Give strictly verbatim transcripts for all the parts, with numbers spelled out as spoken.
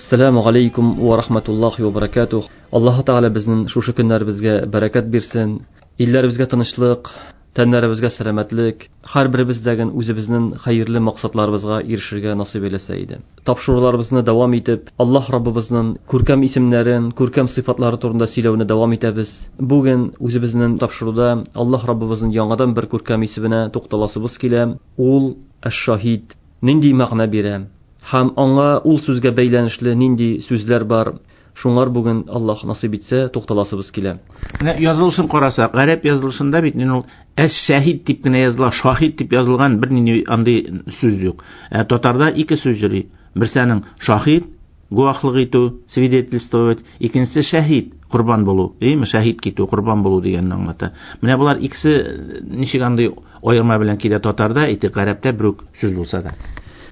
Ассаламу алейкум ва рахматуллахи ва баракатух. Аллаһ Тәгалә безнең шушы көннәребезгә бәрәкәт бирсен, илләребезгә тынычлык, тәннәребезгә сәламәтлек, һәрберебездәген үзебезнең хәерле максатларыбызга ирешергә насыйп әйләсә иде. Тапшыруларыбызны дәвам итеп, Аллаһ Раббыбызның күркәм исемнәрен, күркәм сыйфатлары турында сөйләүне дәвам итәбез. Бүген үзебезнең тапшыруда Аллаһ Раббыбызның яңадан бер күркәм исеменә тукталасыбыз килә. Ул Әш-Шаһид. Нинди мәгънә бирә? Һәм аңа ул сүзгә бәйләнешле нинди сүзләр бар? Шуңар бүген Аллаһ насыйп итсә тукталасыбыз килә. Менә язылышын карасак, гарәп язылышында бит ул әш-шәһид дип кенә языла, шаһид дип язылган бернинди андый сүз юк. Ә татарда ике сүз йөри. Берсе аның шаһид, гуаһлык итү, свидетельствовать, икенчесе шәһид, корбан булу, димме? Шәһид китү, корбан булу дигәнне аңлата. Менә болар икесе ничек андый аерма белән килә татарда, ите гарәптә бер үк сүз булса да.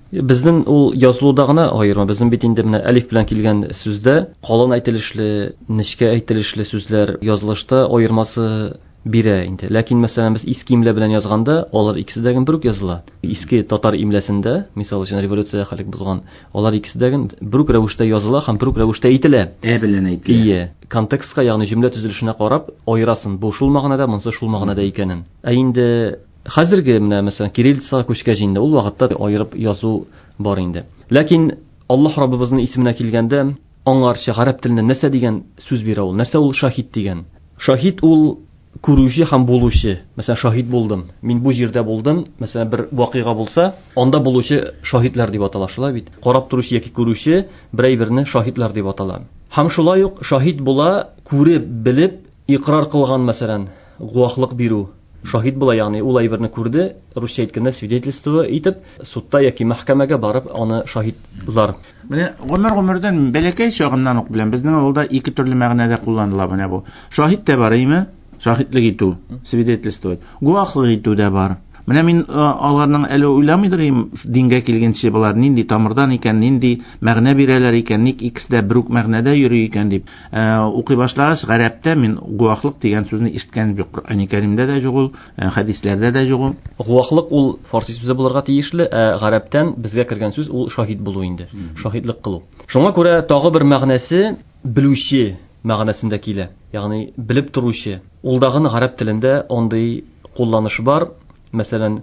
Безнең ул язылуда гына аерма. Безнең бит инде менә әлиф белән килгән сүздә калын әйтелешле, нечкә әйтелешле сүзләр язылышта аермасы бирә инде. Ләкин мәсәлән без иске имлә белән язганда алар икесе дә бер үк языла. Иске татар имләсендә, мисал өчен революция хәлек булган, алар икесе дә бер үк рәвештә языла һәм бер үк рәвештә әйтелә. Ә белән әйтелә. Ие, контекстка, ягъни җөмлә төзелешенә карап аерасын, бу шул мәгънәдә, монысы шул мәгънәдә икәнен. Ә инде хәзерге менә мәсәлән кириллицага күчкәч инде ул вакытта аерып язу бар инде. Ләкин Аллаһ Раббыбызның исеменә килгәндә аңарча гарәп телендә нәрсә дигән сүз бирә ул? Нәрсә ул шаһид дигән? Шаһид ул күрүче һәм булучы. Мәсәлән, шаһид булдым. Мин бу җирдә булдым. Мәсәлән, бер вакыйга булса, анда булучы шаһидләр дип атала, шулай бит. Карап торучы яки күрүче бер әйберне шаһидләр дип атала. Һәм шулай ук шаһид була, күреп, белеп, икрар кылган, мәсәлән, гуаһлык бирү. Шаһид була, ягъни ул әйберне күрде, русча әйткәндә свидетельство итеп, судта яки мәхкәмәгә барып аны шаһидлар. Менә гомер-гомердән бәләкәй чагымнан ук беләм, безнең авылда ике төрле мәгънәдә кулланыла менә бу. Шаһид тә бар, әйме? Шаһидлек итү, свидетельствовать. Гуаһлык итү дә бар. Менә мин аларның әле уйламыйдыр идем, дингә килгәнче болар нинди тамырдан икән, нинди мәгънә бирәләр икән, ник икесе дә бер үк мәгънәдә йөри икән дип. Укый башлагач, гарәптә мин гуаһлык дигән сүзне ишеткән юк. Коръәни Кәримдә дә юк ул, хәдисләрдә дә юк ул. Гуаһлык ул фарси сүзе булырга тиешле, ә гарәптән безгә кергән сүз ул шаһид булу инде, шаһидлык кылу. Шуңа күрә тагы бер мәгънәсе белүче мәгънәсендә килә, ягъни белеп торучы. Ул дагы гарәп телендә андый кулланыш бар. Мәсәлән,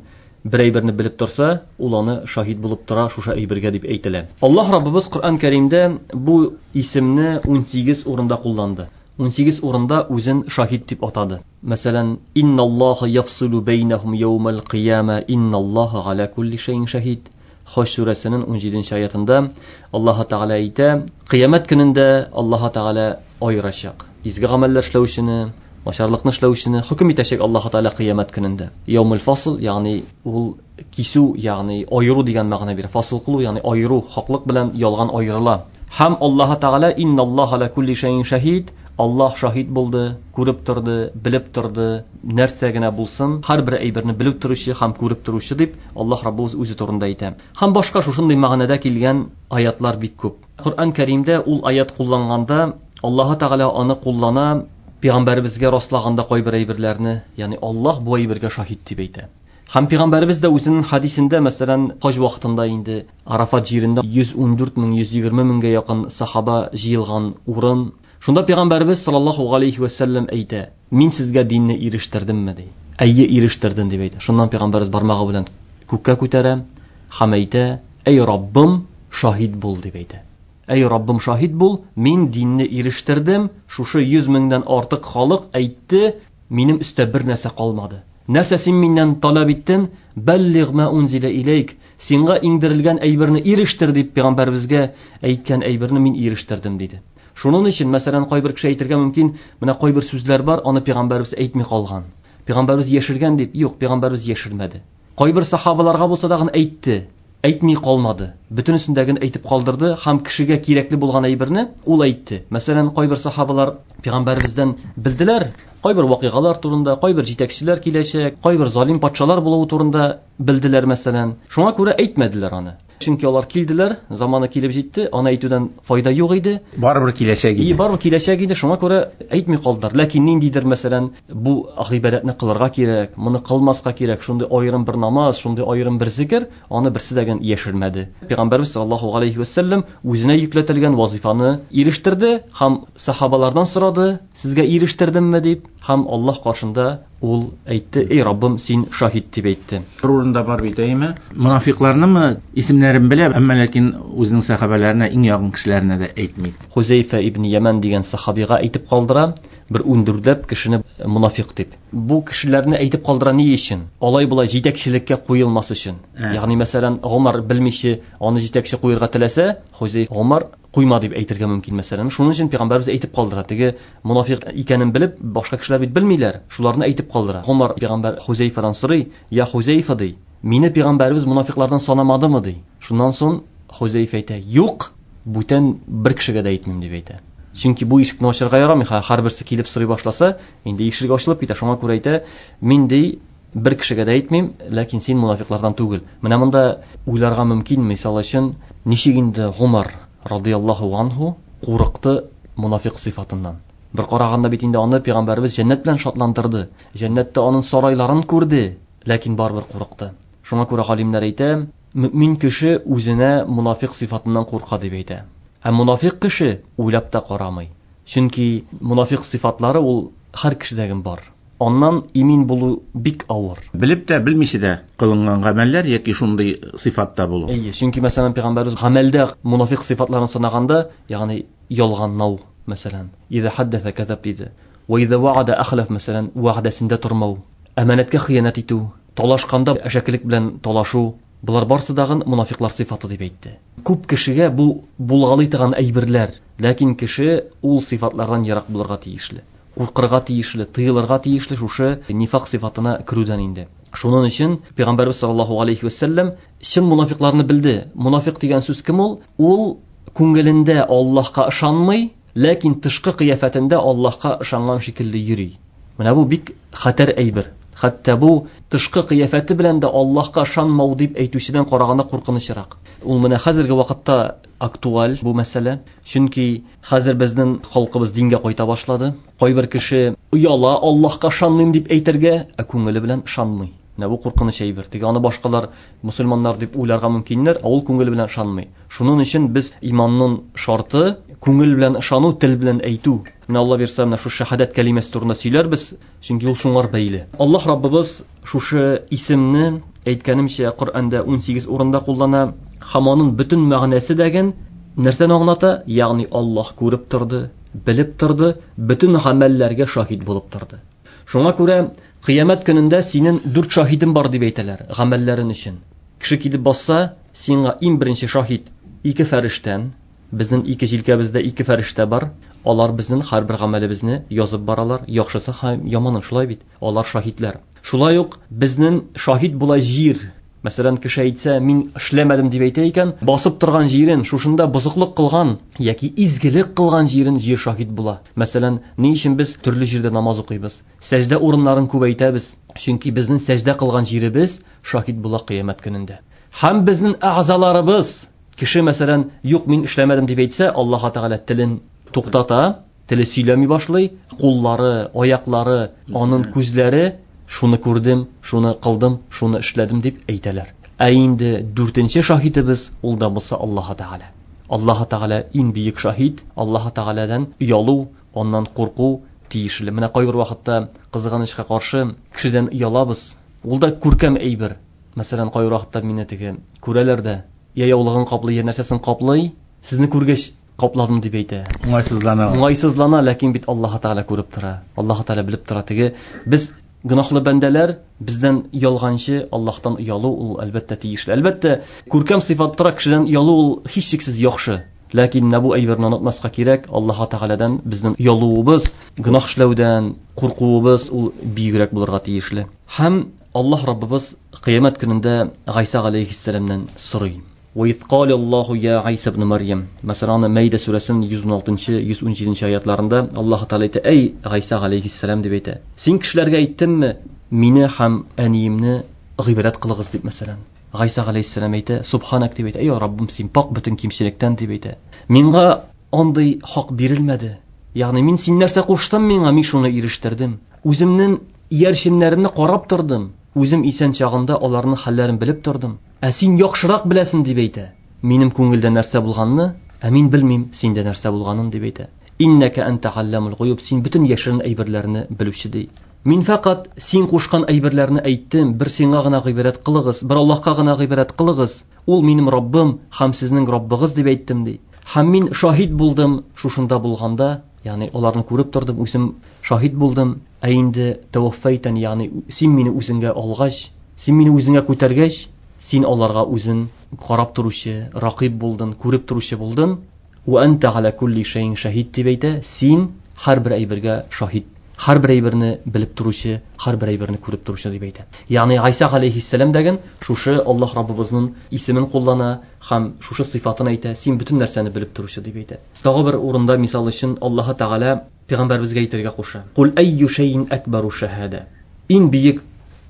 бер әйберне белеп торса, ул аны шаһид булып тора шушы әйбергә дип әйтелә. Аллаһ Раббыбыз Коръән Кәримдә бу исемне ун сигез урында кулланды. ун сигез урында үзен шаһид дип атады. Мәсәлән, инналлаһа яфсилу бәйнәһум яумал кыяма, инналлаһа аля кулли шәйин шаһид. Хаҗ сүрәсенең ун җиденче аятында Аллаһ Тәгалә әйтә, кыямәт көнендә Аллаһ Тәгалә аерачак. Изге гамәлләр эшләүчене, начарлыкны эшләүчене хөкем итәчәк Аллаһ Тәгалә кыямәт көнендә. Яумул фасл, ягъни ул кисү, ягъни аеру дигән мәгънә бирә. Фасл кылу, ягъни аеру, хаклык белән ялган аерыла. Һәм Аллаһ Тәгалә инналлаһа аля кулли шәйин шаһид, Аллаһ шаһид булды, күреп торды, белеп торды, нәрсә генә булсын, һәрбер әйберне белеп торучы һәм күреп торучы дип Аллаһ Раббыбыз үзе турында әйтә. Һәм башка шушындый мәгънәдә килгән аятлар бик күп. Коръән Кәримдә ул аят кулланганда Аллаһ Тәгалә аны куллана пәйгамбәребезгә раслаганда кайбер әйберләрне, ягъни Аллаһ бу әйбергә шаһид дип әйтә. Һәм пәйгамбәребез дә үзенең хадисендә, мәсәлән, хаҗ вакытында инде Арафат җирендә йөз ун дүрт мең, йөз егерме меңгә якын сахаба җыелган урын. Шунда пәйгамбәребез саллаллаһу алейхи ва сәлләм әйтә: "Мин сезгә динне ирештердемме?" ди. Әйе, ирештердем дип әйтә. Шуннан пәйгамбәребез бармагы белән күккә күтәрә һәм әйтә: "Әй Раббым, шаһид бул" дип әйтә. Әй Раббым, шаһид бул, мин динне ирештердем, шушы йөз меңдән артык халык әйтте, минем өстә бер нәрсә калмады. Нәрсә син миннән таләп иттең? Бәллигъ ма унзила иләйк, сиңа иңдерелгән әйберне ирештер дип пәйгамбәребезгә әйткән әйберне мин ирештердем диде. Шуның өчен, мәсәлән, кайбер кеше әйтергә мөмкин, менә кайбер сүзләр бар, аны пәйгамбәребез әйтми калган. Пәйгамбәребез яшергән дип, юк, пәйгамбәребез яшермәде. Кайбер сахабаларга булса да әйтте, әйтми калмады. Бөтенесендәген әйтеп калдырды һәм кешегә кирәкле булган әйберне ул әйтте. Мәсәлән, кайбер сахабалар пәйгамбәребездән белделәр. Кайбер вакыйгалар турында, кайбер җитәкчеләр киләчәк, кайбер залим патшалар булуы турында белделәр мәсәлән. Шуңа күрә әйтмәделәр аны. Чөнки алар килделәр, заманы килеп җитте, аны әйтүдән файда юк иде. Барыбер киләчәк иде. И, барыбер киләчәк иде, шуңа күрә әйтми калдылар. Ләкин ниндидер мәсәлән, бу гыйбадәтне кылырга кирәк, моны кылмаска кирәк, шундый аерым бер намаз, шундый аерым бер зикер, аны берсе дә генә яшермәде. Пәйгамбәрбез саллаллаһу алейхи ва сәлләм үзенә йөкләтелгән вазифаны ирештерде һәм сахабалардан сорады, сезгә ирештердемме дип, һәм Аллаһ каршында ул әйтте, эй Раббым, син шаһит дип әйтте. Бер урында бар бит, әйме? Мунафикларнымы исемнәрен белә, әмма ләкин үзенең сахабаларына, иң якын кешеләренә дә әйтми. Хузейфа ибн Яман дигән сахабига әйтеп калдыра, бер ундүртләп кешене мунафик дип. Бу кешеләрне әйтеп калдыра ни өчен? Алай болай җитәкчелеккә куелмас өчен. Ягъни мәсәлән, Гомар белмичә аны җитәкче куярга теләсә, Хузейфа Гомар куйма дип әйтергә мөмкин мәсәлән. Шуның өчен пәйгамбәрбез әйтеп калдыра. Теге мунафик икәнен белеп, башка кешеләр бит белмиләр. Шуларны әйтеп калдыра. Гомар пәйгамбәр Хузейфадан сорый, "Я Хузейфа" ди, "Мине пәйгамбәрбез мунафиклардан санамадымы?" ди. Шуннан соң Хузейфа әйтә, "Юк, бүтән бер кешегә дә әйтмим" дип әйтә. Чөнки бу ишекне ачарга ярамый, һәрберсе килеп сорый башласа, инде ишек ачылып китә. Шуңа күрә әйтә, "Мин ди бер кешегә дә әйтмим, ләкин син мунафиклардан түгел." Менә монда уйларга мөмкин, мисал өчен, ничек инде Гомар радияллаһу анһу курыкты мунафик сыйфатыннан. Бер караганда бит инде аны пәйгамбәрбез җәннәт белән шатландырды. Җәннәттә аның сарайларын күрде, ләкин барыбер курыкты. Шуңа күрә галимнәр әйтә, мөмин кеше үзенә мунафик сыйфатыннан курка дип әйтә. Ә мунафик кеше уйлап та карамый. Чөнки мунафик сыйфатлары ул һәр кешедә бар. Аннан имин булу бик авыр. Белеп тә, белмичә дә кылынган гамәлләр яки шундый сыйфатта булу. Әйе, чөнки мәсәлән пәйгамбәрбез гамәлдә мунафик сыйфатларын санаганда, ягъни ялганлау мәсәлән, иза хаддаса казаб диде. Ва иза ваада ахлаф мәсәлән, вәгъдәсендә тормау, әманәткә хыянәт итү, талашканда әшәкелек белән талашу, булар барсы дагын мунафиклар сыйфаты дип әйтте. Күп кешегә бу булгалый торган әйберләр, ләкин кеше ул сыйфатлардан ерак булырга тиешле. Куркырга тиешле, тыелырга тиешле шушы нифак сыйфатына керүдән инде. Шуның өчен пәйгамбәрбез саллаллаһу алейхи ва сәлләм чын мунафикларны белде. Мунафик дигән сүз кем ул? Ул күңелендә Аллаһка ышанмый, ләкин тышкы кыяфәтендә Аллаһка ышанган шикелле йөри. Менә бу бик хәтәр әйбер. Хәтта бу тышкы кыяфәте белән дә Аллаһка ышанмау дип әйтүчедән караганда куркынычрак. Ул менә хәзерге вакытта актуаль бу мәсьәлә. Чөнки хәзер безнең халкыбыз дингә кайта башлады. Кайбер кеше ояла Аллаһка ышанмыйм дип әйтергә, ә күңеле белән ышанмый. Менә бу куркыныч әйбер. Теге аны башкалар мусульманнар дип уйларга мөмкиннәр, ә ул күңеле белән ышанмый. Шуның өчен без иманның шарты күңел белән ышану, тел белән әйтү. Менә Алла бирсә, менә шу шәһадәт кәлимәсе турында сөйләрбез, чөнки ул шуңар бәйле. Аллаһ Раббыбыз шушы исемне әйткәнемчә Коръәндә ун сигез урында куллана. Һәм аның бөтен мәгънәсе дәген нәрсәне аңлата? Ягъни Аллаһ күреп торды, белеп торды, бөтен гамәлләргә шаһит булып торды. Шуңа күрә кыямәт көнендә синең дүрт шаһитең бар дип әйтәләр гамәлләрең өчен. Кеше килеп басса, сиңа иң беренче шаһит ике фәрештән. Безнең ике җилкәбездә ике фәрештә бар. Алар безнең һәрбер гамәлебезне язып баралар, яхшысы һәм яманы, шулай бит. Алар шаһитләр. Шулай ук безнең шаһит була җир. Мәсәлән, кеше әйтсә, мин эшләмәдем дип әйтә икән, басып торган җирен, шушында бозыклык кылган яки изгелек кылган җирен җир шаһит була. Мәсәлән, ни өчен без төрле җирдә намаз укыйбыз? Сәҗдә урыннарын күбәйтәбез. Чөнки безнең сәҗдә кылган җиребез шаһит була кыямәт көнендә. Һәм безнең әгъзаларыбыз, кеше мәсәлән, юк, мин эшләмәдем дип әйтсә, Аллаһ Тәгалә телен туктата, теле сөйләми башлый, куллары, аяклары, аның күзләре шуны күрдем, шуны кылдым, шуны эшләдем дип әйтәләр. Ә инде дүртенче шаһитебез ул да булса Аллаһ Тәгалә. Аллаһ Тәгалә иң бөек шаһит. Аллаһ Тәгаләдән оялу, аннан курку тиешле. Менә кайбер вакытта кызганычка каршы кешедән оялабыз. Ул да күркәм әйбер. Мәсәлән, кайбер вакытта мине теге күрәләр дә, я яулыгын каплый, я нәрсәсен каплый, сезне күргәч капладым дип әйтә. Уңайсызлана. Уңайсызлана, ләкин бит Аллаһ Тәгалә күреп тора. Аллаһ Тәгалә белеп тора. Теге без гөнаһлы бәндәләр, бездән ялганчы Аллаһтан оялу ул әлбәттә тиешле. Әлбәттә, күркәм сыйфат тора, кешедән оялу ул һичшиксез яхшы. Ләкин менә бу әйберне онытмаска кирәк. Аллаһ Тәгаләдән безнең оялуыбыз, гөнаһ эшләүдән куркуыбыз ул бигрәк булырга тиешле. Һәм Аллаһ Раббыбыз кыямәт көнендә Гайса галәйһиссәламнән сорый. Ва из кала Аллаһу я Гайса ибн Марьям. Мәсәлән, Мәйдә сүрәсенең йөз ун алтынчы, йөз ун җиденче аятларында Аллаһ Тәгалә әйтә: "Әй Гайса галәйһиссәлам" дип әйтә. Син кешеләргә әйттеңме, мине һәм әниемне гыйбадәт кылыгыз дип мәсәлән. Гайса галәйһиссәлам әйтә: "Субханак" дип әйтә. Әй Раббым, син пак бөтен кимчелектән дип әйтә. Миңа андый хак бирелмәде. Ягъни мин син нәрсә куштың миңа, мин шуны ирештердем. Үземнең иярченнәремне карап тордым. Үзем исән чагында аларның хәлләрен белеп тордым. Ә син яхшырак беләсең дип әйтә. Минем күңелдә нәрсә булганны, ә мин белмим синдә нәрсә булганын дип әйтә. Иннәкә анта алламул гуюб, син бөтен яшерен әйберләрне белүче ди. Мин фақат син кушкан әйберләрне әйттем, бер сиңа гына гыйбадәт кылыгыз, бер Аллаһка гына гыйбадәт кылыгыз. Ул минем Раббым һәм сезнең Раббыгыз дип әйттем ди. Һәм мин шаһит булдым шушында булганда, ягъни аларны күреп тордым, үзем шаһит булдым. Ә инде таваффайтан, ягъни син мине үзеңгә алгач, син мине үзеңә күтәргәч, син аларга үзен карап торучы, рақиб булдың, күреп торучы булдың. Ва анта аля кулли шәйин шаһид дип әйтә, син һәрбер әйбергә шаһит, һәрбер әйберне белеп торучы, һәрбер әйберне күреп торучы дип әйтә. Ягъни Гайса галәйһиссәлам дигән шушы Аллаһ Раббыбызның исемен куллана һәм шушы сыйфатын әйтә, син бөтен нәрсәне белеп торучы дип әйтә. Тагы бер урында мисал өчен Аллаһ Тәгалә пәйгамбәребезгә әйтергә куша. Кул әйю шәйин акбару шаһада. Иң бөек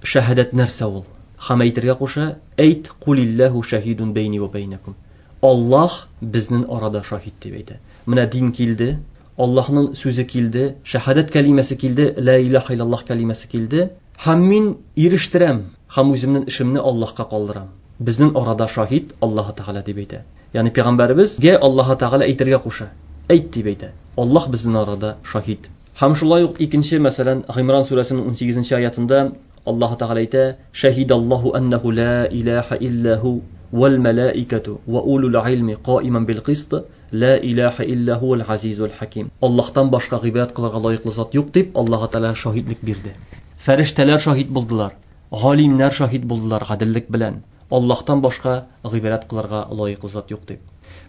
шаһадәт нәрсә ул? Һәм әйтергә куша, әйт кулиллаһу шаһидун бәйни ва бәйнәкум. Аллаһ безнең арада шаһид дип әйтә. Менә дин килде, Аллаһның сүзе килде, шаһадәт кәлимәсе килде, ла илаһа иллаллаһ кәлимәсе килде. Һәм мин ирештерәм, һәм үземнең эшемне Аллаһка калдырам. Безнең арада шаһид Аллаһ Тәгалә дип әйтә. Ягъни пәйгамбәребезгә Аллаһ Тәгалә әйтергә куша. Әйт дип әйтә. Аллаһ безнең арада шаһид. Һәм шулай ук икенче, мәсәлән, Гыймран сүрәсенең ун сигезенче аятында Аллаһ Тәгалә әйтә: "Шаһидаллаһу аннаху ла илаһа илля ху вал малаикату ва улул илми каиман бил кист ла илаһа илля хувал азизул хаким". Аллаһтан башка гыйбадәт кылырга лаеклы зат юк дип Аллаһ Тәгалә шаһидлек бирде. Фәрештәләр шаһид булдылар, галимнәр шаһид булдылар гаделлек белән. Аллаһтан башка гыйбадәт кылырга лаеклы зат юк дип.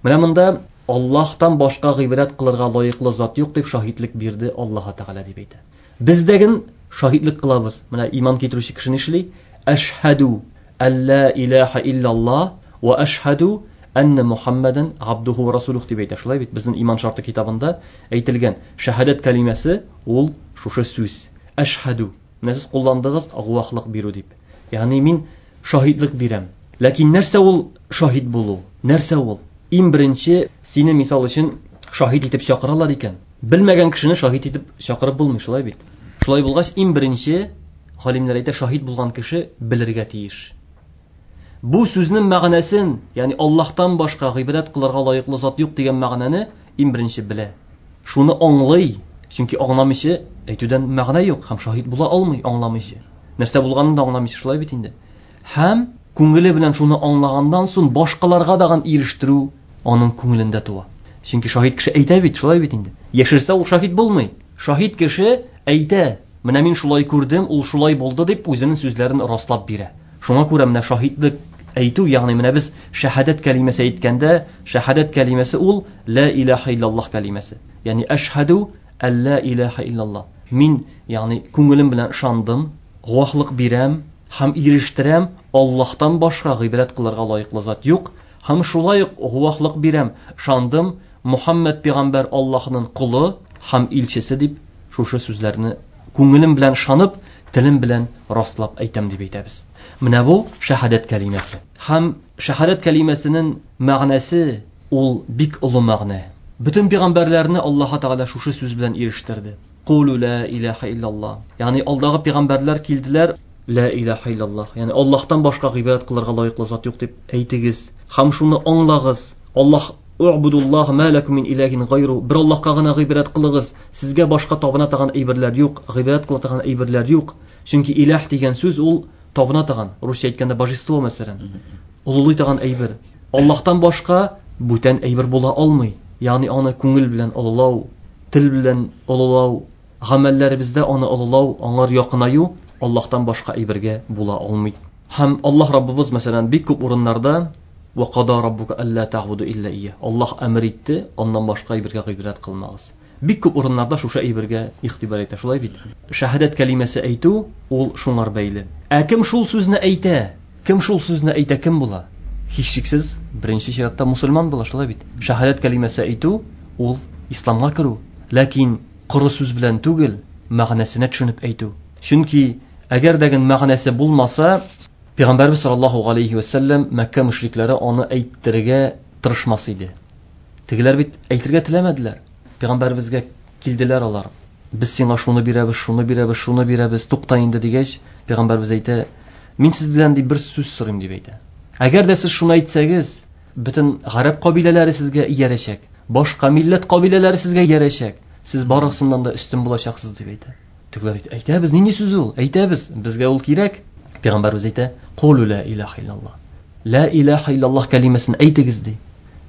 Менә монда Аллаһтан башка гыйбадәт кылырга лаеклы зат юк дип шаһидлек бирде Аллаһ Тәгалә дип әйтә. Без дәген шаһидлек кылабыз. Менә иман китерүче кеше нишли? Әшһәду алла илаһа иллаллаһ ва әшһәду анна Мухаммадан абдуху ва расулух дип әйтә. Шулай бит безнең иман шарты китабында әйтелгән шаһадәт кәлимәсе ул шушы сүз. Әшһәду. Менә сез кулландыгыз гуаһлык бирү дип. Ягъни мин шаһидлек бирәм. Ләкин нәрсә ул шаһид булу? Нәрсә ул? Иң беренче сине мисал өчен шаһид итеп чакыралар икән. Белмәгән кешене шаһид итеп чакырып булмый, шулай бит. Шулай булгач, иң беренче галимнәр әйтә, шаһид булган кеше белергә тиеш. Бу сүзнең мәгънәсен, ягъни Аллаһтан башка гыйбадәт кылырга лаеклы зат юк дигән мәгънәне иң беренче белә. Шуны аңлый, чөнки аңламыйча әйтүдән мәгънә юк һәм шаһид була алмый аңламыйча. Нәрсә булганын да аңламыйча, шулай бит инде. Һәм күңеле белән шуны аңлаганнан соң башкаларга дагын ирештерү аның күңелендә туа. Чөнки шаһид кеше әйтә бит, шулай бит инде. Яшерсә ул шаһид булмый. Шаһид кеше әйтә, менә мин шулай күрдем, ул шулай булды дип үзенең сүзләрен раслап бирә. Шуңа күрә менә шаһидлек әйтү, ягъни менә без шаһадәт кәлимәсе әйткәндә, шаһадәт кәлимәсе ул ла илаһа иллаллаһ кәлимәсе. Ягъни әшһәду алла илаһа иллаллаһ. Мин, ягъни күңелем белән ышандым, гуаһлык бирәм һәм ирештерәм, Аллаһтан башка гыйбадәт кылырга лаеклы зат юк. Һәм шулай ук гуаһлык бирәм, ышандым, Мухаммад пәйгамбәр Аллаһның колы һәм илчесе дип шушы сүзләрне күңелем белән ышанып, телем белән раслап әйтәм дип әйтәбез. Менә бу шаһадәт кәлимәсе. Һәм шаһадәт кәлимәсенең мәгънәсе ул бик олы мәгънә. Бөтен пәйгамбәрләрне Аллаһ Тәгалә шушы сүз белән ирештерде. Кулу ла илаһа иллаллаһ. Ягъни алдагы пәйгамбәрләр килделәр, ла илаһа иллаллаһ. Ягъни Аллаһтан башка гыйбадәт кылырга лаеклы зат юк дип әйтегез. Һәм шуны аңлагыз. Аллаһ У'будуллаһ ма лакум мин илаһин гайру. Бер Аллаһка гына гыйбадәт кылыгыз. Сезгә башка табына торган әйберләр юк, гыйбадәт кыла торган әйберләр юк. Чөнки илаһ дигән сүз ул табына торган, русча әйткәндә божество мәсәлән. Олылый торган әйбер. Аллаһтан башка бүтән әйбер була алмый. Ягъни аны күңел белән олылау, тел белән олылау, гамәлләребездә аны олылау, аңар якынаю Аллаһтан башка әйбергә була алмый. Һәм Аллаһ Раббыбыз мәсәлән бик күп урыннарда Ва када раббука алла та'буду илля ия. Аллаһ әмер итте, аннан башка әйбергә гыйбадәт кылмагыз. Бик күп урыннарда шушы әйбергә игътибар итә, шулай бит. Шаһадәт кәлимәсе әйтү ул шуңар бәйле. Ә кем шул сүзне әйтә? Кем шул сүзне әйтә, кем була? Һичшиксез, беренче чиратта мусульман була, шулай бит. Шәһадәт кәлимәсе әйтү ул исламга керү. Ләкин коры сүз белән түгел, мәгънәсенә төшенеп әйтү. Чөнки әгәр дә мәгънәсе булмаса, Пәйгамбәрбез саллаллаһу алейхи ва сәлләм Мәккә мөшрикләре аны әйттерергә тырышмас иде. Тегеләр бит әйтергә теләмәделәр. Пәйгамбәрбезгә килделәр алар. Без сиңа шуны бирәбез, шуны бирәбез, шуны бирәбез, тукта инде дигәч, Пәйгамбәрбез әйтә, мин сездән дип бер сүз сорыйм дип әйтә. Әгәр дә сез шуны әйтсәгез, бөтен гарәп кабиләләре сезгә иярәчәк, башка милләт кабиләләре сезгә иярәчәк, сез барысыннан да өстен булачаксыз дип әйтә. Тегеләр әйтә, әйтәбез, нинди сүз ул? Әйтәбез, безгә ул кирәк. Пәйгамбәрбез әйтә, "Кулу ла илаһа иллаллаһ." Ла илаһа иллаллаһ кәлимәсен әйтегез ди.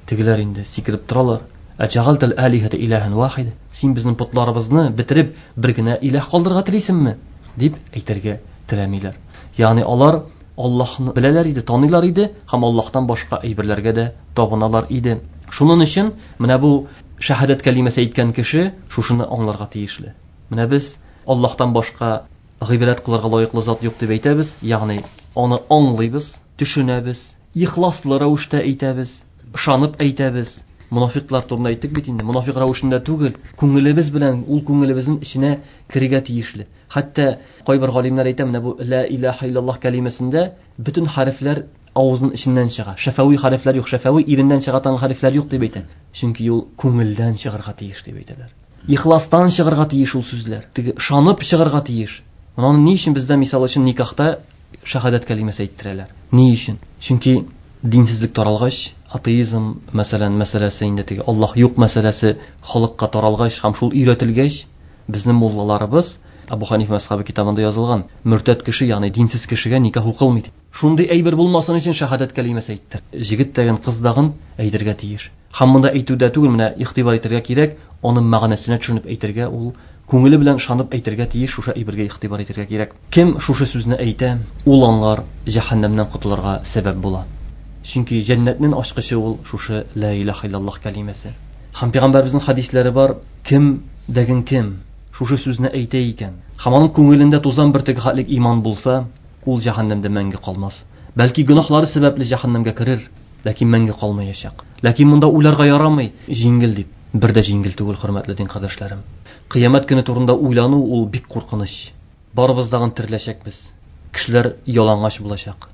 Тегеләр инде сикереп торалар. Әҗәгалтал алихата илаһан вахида. Син безнең потларыбызны бетереп бер генә илаһ калдырырга телисеңме? Дип әйтергә теләмиләр. Ягъни алар Аллаһны беләләр иде, таныйлар иде һәм Аллаһтан башка әйберләргә дә табыналар иде. Шуның өчен менә бу шәһадәт кәлимәсе әйткән кеше шушыны аңларга тиешле. Менә без Аллаһтан башка гыйбадәт кылырга лаеклы зат юк дип әйтәбез, ягъни аны аңлыйбыз, төшенәбез, ихласлы рәвештә әйтәбез, ышанып әйтәбез. Мунафиклар турында әйттек бит инде, мунафик рәвешендә түгел, күңелебез белән ул күңелебезнең эченә керергә тиешле. Хәтта кайбер галимнәр әйтә, менә бу ла илаһа иллаллаһ кәлимәсендә бөтен хәрефләр авызның эченнән чыга. Шәфәви хәрефләр юк, шәфәви иреннән чыга торган хәрефләр юк дип әйтә. Чөнки ул күңелдән чыгарга тиеш дип әйтәләр. Ихластан чыгарга тиеш ул сүзләр. Теге ышанып чыгарга тиеш. Моны ни өчен бездә мисал өчен никахта шәһадәт кәлимәсе әйттерәләр? Ни өчен? Чөнки динсезлек таралгач, атеизм мәсәлән мәсьәләсе инде теге Аллаһ юк мәсьәләсе халыкка таралгач һәм шул өйрәтелгәч, безнең муллаларыбыз Абу Ханиф мәзһәбе китабында язылган, мөртәд кеше, ягъни динсез кешегә никах укылмый. Шундый әйбер булмасын өчен шәһадәт кәлимәсе әйттер. Җегет дигән кыз дагын әйтергә тиеш. Һәм монда әйтүдә түгел, менә игътибар итәргә кирәк, аның мәгънәсенә төшенеп әйтергә, ул күңеле белән ышанып әйтергә тиеш, шушы әйбергә игътибар итәргә кирәк. Кем шушы сүзне әйтә, ул аңар җәһәннәмнән котылырга сәбәп була. Чөнки җәннәтнең ачкычы ул шушы ла илаһа иллаллаһ кәлимәсе. Һәм пәйгамбәребезнең хәдисләре бар, кем дәген кем шушы сүзне әйтә икән, һәм аның күңелендә тузан бөртеге хәтлек иман булса, ул җәһәннәмдә мәңге калмас. Бәлки гөнаһлары сәбәпле җәһәннәмгә керер, ләкин мәңге калмаячак. Ләкин монда уйларга ярамый, җиңел дип. Бер дә җиңел түгел, хөрмәтле дин кардәшләрем. Кыямәт көне турында уйлану ул бик куркыныч. Барыбыз дагын тереләчәкбез. Кешеләр ялангач булачак.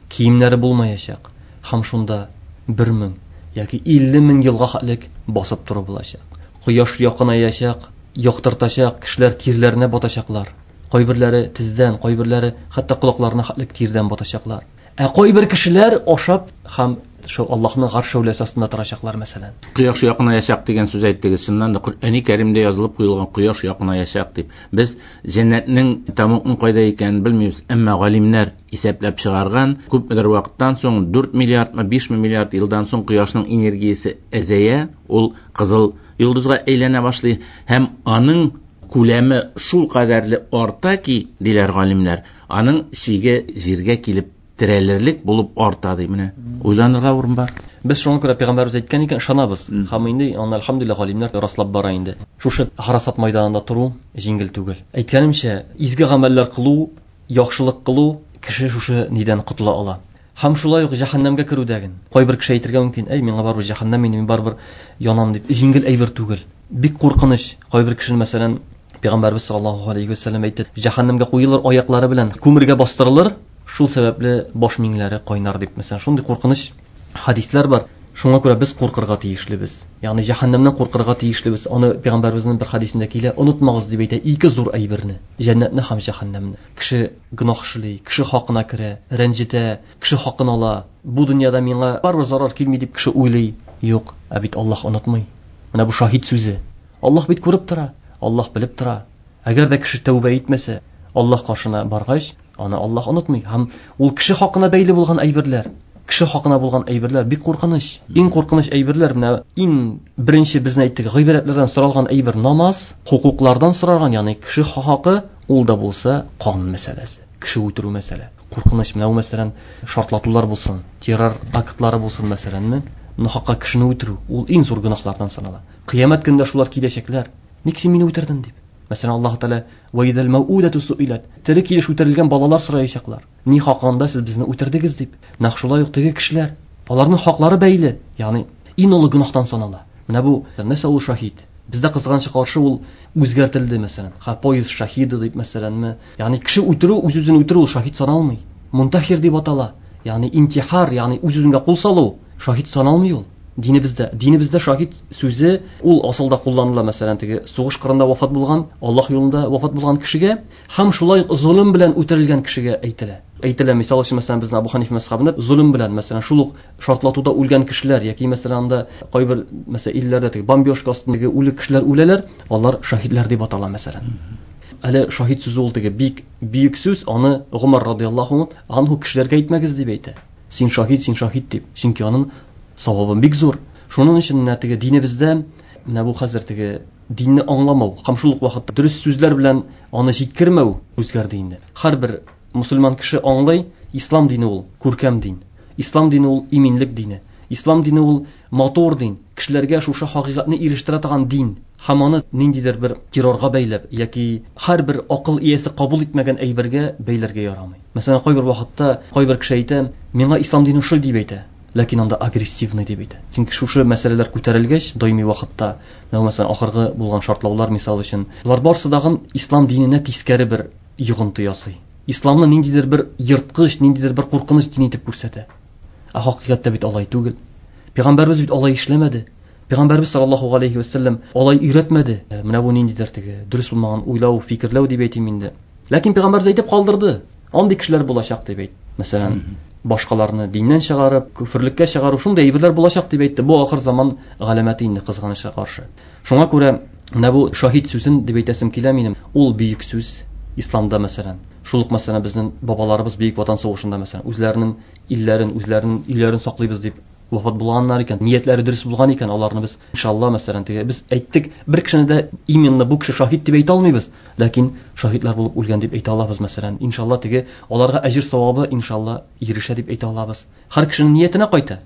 Киемнәре булмаячак. Һәм шунда бер мең яки илле мең елга хәтлек басып тору булачак. Кояш якынаячак, яктыртачак, кешеләр тирләренә батачаклар. Кайберләре тездән, кайберләре хәтта колакларына хәтлек тирдән батачаклар. Ә кайбер кешеләр ашап һәм шул Аллаһның гарш шәүләсе астында торачаклар мәсәлән. Кояш якынаячак дигән сүз әйттегез. Чыннан да Коръәни Кәримдә язылып куелган кояш якынаячак дип. Без җәннәтнең тәмугның кайда икәнен белмибез, әмма галимнәр исәпләп чыгарган, күпмедер вакыттан соң дүрт миллиардмы, биш миллиард елдан соң кояшның энергиясе әзәя, ул кызыл йолдызга әйләнә башлый һәм аның күләме шул кадәрле арта ки, диләр галимнәр, аның чиге җиргә килеп терәлерлек булып арта ди. Менә уйланырга урын бар. Без шуңа күрә пәйгамбәребез әйткән икән, ышанабыз. Һәм инде аны әлхәмдүлилләһ галимнәр раслап бара инде. Шушы харасат майданында тору җиңел түгел. Әйткәнемчә, изге гамәлләр кылу, яхшылык кылу кеше шушы нидән котыла ала. Һәм шулай ук җәһәннәмгә керүдәген. Кайбер кеше әйтергә мөмкин, әй, миңа барыбер җәһәннәм, мин барыбер янам дип. Җиңел әйбер түгел. Бик куркыныч. Кайбер кешене, мәсәлән, Пәйгамбәрбез саллаллаһу алейхи ва сәлләм әйтте, җәһәннәмгә куелыр, аяклары белән күмергә бастырылыр, шул сәбәпле баш миңләре кайнар дип. Мәсәлән, шундый куркыныч хадисләр бар. Шуңа күрә без куркырга тиешлебез. Ягъни җәһәннәмнән куркырга тиешлебез. Аны пәйгамбәребезнең бер хадисендә килә, онытмагыз дип әйтә, ике зур әйберне: җәннәтне һәм җәһәннәмне. Кеше гөнаһ эшли, кеше хакына керә, рәнҗетә, кеше хакын ала. Бу дөньяда миңа барыбер зарар килми дип кеше уйлый. Юк, ә бит Аллаһ онытмый. Менә бу шаһит сүзе. Аллаһ бит күреп тора, Аллаһ белеп тора. Әгәр дә кеше тәүбә итмәсә, Аллаһ каршына баргач, аны Аллаһ онытмый. Һәм ул кеше хакына бәйле булган әйберләр, кеше хакына булган әйберләр бик куркыныч. Иң куркыныч әйберләр менә иң беренче безне әйттек, гыйбадәтләрдән соралган әйбер намаз, хукуклардан соралган, ягъни кеше хакы, ул да булса кан мәсьәләсе, кеше үтерү мәсьәлә. Куркыныч менә бу, мәсәлән, шартлатулар булсын, террор актлары булсын, мәсәләнме, нахакка кешене үтерү, ул иң зур гөнаһлардан санала. Кыямәт көнендә шулар киләчәкләр. Ник син мине үтердең дип. Мәсәлән, Аллаһ Тәгалә ва идәл мәүудату суилат. Тере килеш үтерелгән балалар сораячаклар. Ни хакында сез безне үтердегез дип. Нәкъ шулай ук теге кешеләр. Аларның хаклары бәйле, ягъни иң олы гөнаһтан санала. Менә бу нәрсә ул шаһит? Бездә кызганычка каршы ул үзгәртелде, мәсәлән. Ха, поезд шаһиды дип мәсәләнме? Ягъни кеше үтерү, үз-үзен үтерү ул шаһит саналмый. Мунтахир дип атала. Ягъни интихар, ягъни үз-үзеңә кул салу шаһит саналмый ул. Динебездә, динебездә шаһит сүзе ул асылда кулланыла, мәсәлән, теге сугыш кырында вафат булган, Аллаһ юлында вафат булган кешегә һәм шулай золым белән үтерелгән кешегә әйтелә. Әйтелә, мисал өчен, мәсәлән, безнең Абу Ханиф мәзһәбендә золым белән, мәсәлән, шул ук шартлатуда үлгән кешеләр яки мәсәлән анда кайбер мәсәлән илләрдә теге бомбежка астындагы үле кешеләр үләләр, алар шаһитләр дип атала, мәсәлән. Әле шаһит сүзе ул теге бик бөек сүз, аны Гомар радияллаһу анһу кешеләргә әйтмәгез дип әйтә. Син шаһит, син шаһит дип. Чөнки аның савабы бик зур. Шуның өчен менә теге динебездә менә бу хәзер теге динне аңламау һәм шул ук вакытта дөрес сүзләр белән аны җиткермәү үзгәрде инде. Һәрбер мусульман кеше аңлый, ислам дине ул күркәм дин. Ислам дине ул иминлек дине. Ислам дине ул матур дин. Кешеләргә шушы хакыйкатьне ирештерә торган дин. Һәм аны ниндидер бер террорга бәйләп яки һәрбер акыл иясе кабул итмәгән әйбергә бәйләргә ярамый. Мәсәлән, кайбер вакытта кайбер кеше әйтә, миңа ислам дине шул дип әйтә. Ләкин анда агрессивный дип әйтә. Чөнки шушы мәсьәләләр күтәрелгәч, даими вакытта, мәсәлән, ахыргы булган шартлаулар мисал өчен, булар барсы дагын ислам диненә тискәре бер йогынты ясый. Исламны ниндидер бер ерткыч, ниндидер бер куркыныч дин итеп күрсәтә. Ә хакыйкатьтә бит алай түгел. Пәйгамбәрбез бит алай эшләмәде. Пәйгамбәрбез саллаллаһу алейхи ва саллям алай өйрәтмәде. Менә бу ниндидер теге дөрес булмаган уйлау, фикерләү дип әйтим инде. Ләкин пәйгамбәрбез әйтеп калдырды. Андый кешеләр булачак дип әйт. Мәсәлән, башкаларны диннән чыгарып, күферлеккә чыгару шундый әйберләр булачак дип әйтте. Бу ахыр заман галәмәте инде кызганычка каршы. Шуңа күрә менә бу шаһит сүзен дип әйтәсем килә минем. Ул бөек сүз исламда мәсәлән. Шул ук мәсәлән безнең бабаларыбыз Бөек Ватан сугышында мәсәлән үзләренең илләрен, үзләренең өйләрен саклыйбыз дип вафат булганнар икән, ниятләре дөрес булган икән, аларны без иншалла мәсәлән теге без әйттек, бер кешене дә именно бу кеше шаһит дип әйтә алмыйбыз, ләкин шаһитлар булып үлгән дип әйтә алабыз мәсәлән. Иншалла теге аларга әҗер савабы иншалла ирешә дип әйтә алабыз. Һәр кешенең ниятенә кайта.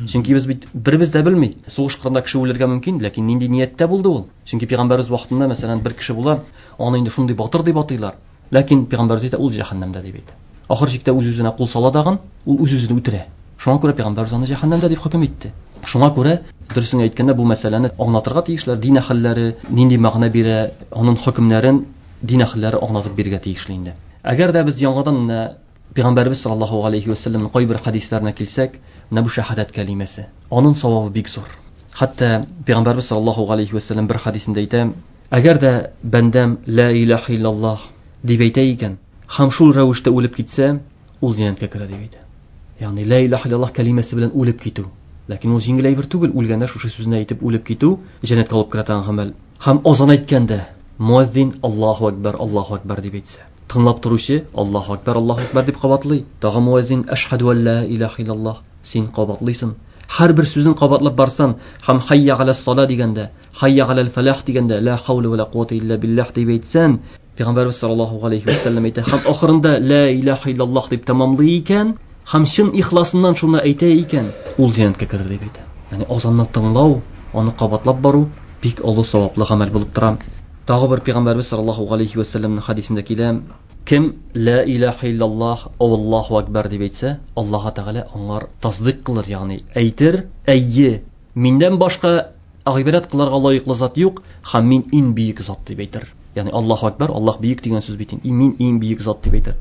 Чөнки без бит беребез дә белми. Сугыш кырында кеше үлергә мөмкин, ләкин нинди нияттә булды ул? Чөнки пәйгамбәрбез вакытында мәсәлән бер кеше була, аны инде шундый батыр дип атыйлар. Ләкин пәйгамбәрбез әйтә, ул җәһәннәмдә дип әйтә. Ахыр чиктә үз-үзенә кул сала дагын, ул үз-үзен үтерә. Шуңа күрә пәйгамбәрбез аны җәһәннәмдә дип хөкем итте. Шуңа күрә дөресен әйткәндә бу мәсьәләне аңлатырга тиешләр. Дин әһелләре нинди мәгънә бирә, аның хөкемнәрен дин әһелләре аңлатып бирергә тиешле инде. Әгәр дә без яңадан менә пәйгамбәрбез саллаллаһу алейхи ва саллямның кайбер хәдисләренә килсәк, менә бу шәһадәт кәлимәсе, аның савабы бик зур. Хәтта пәйгамбәрбез саллаллаһу алейхи ва саллям бер хәдисендә әйтә, әгәр дә бәндәм ла илаһа иллаллаһ дип әйтә икән, һәм шул рәвештә үлеп китсә, ул җәннәткә керә дип әйтә. Ягъни ла илаһа иллаллаһ кәлимәсе белән үлеп китү. Ләкин ул җиңел әйбер түгел, үлгәндә шушы сүзне әйтеп үлеп китү җәннәткә алып керә торган гамәл. Һәм азан әйткәндә муаззин Аллаһу акбар, Аллаһу акбар дип әйтсә, тыңлап торучы Аллаһу акбар, Аллаһу акбар дип кабатлый. Тагы муаззин әшһәду ан ла илаһа иллаллаһ, син кабатлыйсың. Һәрбер сүзен кабатлап барсан, һәм хайя галас сала дигәндә, хайя галал фалах дигәндә, ла хаула ва ла куата илля биллах дип әйтсән, Пәйгамбәрбез саллаллаһу алейхи ва саллям әйтә, һәм ахырында ла илаһа иллаллаһ дип тәмамлый икән, һәм чын ихласыннан шуны әйтә икән, ул җәннәткә керер дип әйтә. Ягъни азанны тыңлау, аны кабатлап бару бик олы саваплы гамәл булып тора. Тагы бер Пәйгамбәрбез саллаллаһу алейхи ва саллямның хәдисендә килә, кем ла илаһа иллаллаһ, Аллаһу акбар дип әйтсә, Аллаһ Тәгалә аңар тасдыйк кылыр, ягъни әйтер, әйе, миннән башка гыйбадәт кылырга лаеклы зат юк, һәм мин иң бөек зат дип әйтер. Ягъни Аллаһу акбар, Аллаһ бөек дигән сүз бит, мин иң бөек зат дип әйтер.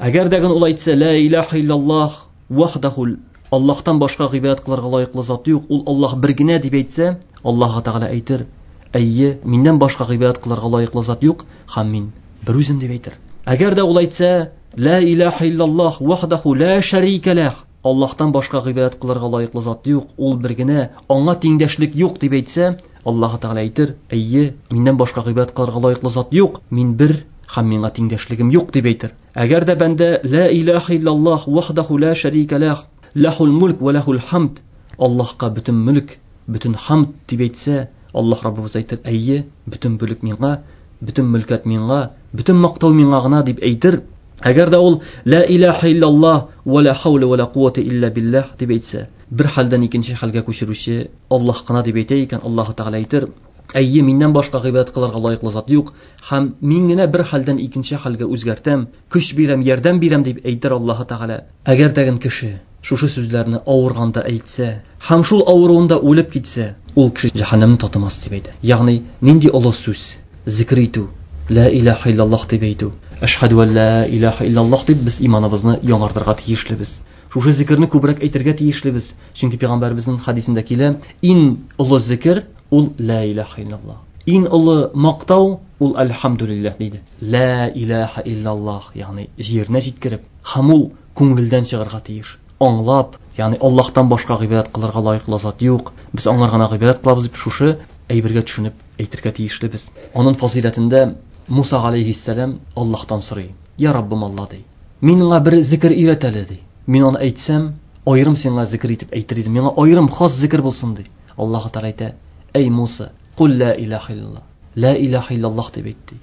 Әгәр дә ул әйтсә ла илаһа иллаллаһ вахдаху, Аллаһтан башка гыйбадәт кылырга лаеклы зат юк, ул Аллаһ бер генә дип әйтсә, Аллаһ Тәгалә әйтер, әйе, миннән башка гыйбадәт кылырга лаеклы зат юк, һәм мин бер үзем дип әйтер. Әгәр дә ул әйтсә ла илаһа иллаллаһ вахдаху ла шәрика лах, Аллаһтан башка гыйбадәт кылырга лаеклы зат юк, ул бер генә, аңа тиңдәшлек юк дип әйтсә, Аллаһ Тәгалә әйтер, әйе, миннән башка гыйбадәт кылырга лаеклы зат юк, мин бер һәм миңа тиңдәшлегем юк дип әйтер. Әгәр дә бәндә ла илаһа иллаллаһ вахдаху ла шәрика лах, лахул мулк ва лахул хамд, Аллаһка бөтен мөлк, бөтен хамд дип әйтсә, Аллаһ Раббыбыз әйтер, әйе, бөтен бүлек миңа, бөтен мөлкәт миңа, бөтен мактау миңа гына дип әйтер. Әгәр дә ул ла илаһа иллаллаһ ва ла хаула ва ла куата илля биллах дип әйтсә, бер хәлдән икенче хәлгә күчерүче Аллаһ кына дип әйтә икән, Аллаһ Тәгалә әйтер, Әйе, миннән башка гыйбадәт кылырга лаеклы зат юк, һәм мин генә бер хәлдән икенче хәлгә үзгәртәм, көч бирәм, ярдәм бирәм дип әйтер Аллаһы Тәгалә. Әгәр дәген кеше шушы сүзләрне авырганда әйтсә, һәм шул авыруында үлеп китсә, ул кеше җәһәннәмне татымас дип әйтә. Ягъни нинди олы сүз? Зикр итү, ла илаһа иллаллаһ дип әйтү, әшһәдү ан ла илаһа иллаллаһ дип без иманыбызны яңартырга тиешлебез. Шушы зикрне күбрәк әйтергә тиешлебез. Чөнки пәйгамбәребезнең хадисендә килә, иң олы зикр ул ла илаһа иллаллаһ. Иң олы мактау ул әлхәмдүлилләһ диде. Ла илаһа иллаллаһ, ягъни җиренә җиткереп, һәм ул күңелдән чыгарга тиеш. Аңлап, ягъни Аллаһтан башка гыйбадәт кылырга лаеклы зат юк, без аңар гына гыйбадәт кылабыз дип шушы әйбергә төшенеп әйтергә тиешлебез. Аның фазыйләтендә Муса алейһиссәлам Аллаһтан сорый. Я Раббым Алла ди. Мин аңа бер зикр өйрәт әле ди. Мин аны әйтсәм, аерым сиңа зикр итеп әйтер идем. Миңа аерым хас зикр булсын ди. Аллаһ Тәгалә әйтә: Әй Муса, кул ла илаһа иллаллаһ. Ла илаһа иллаллаһ дип әйтте.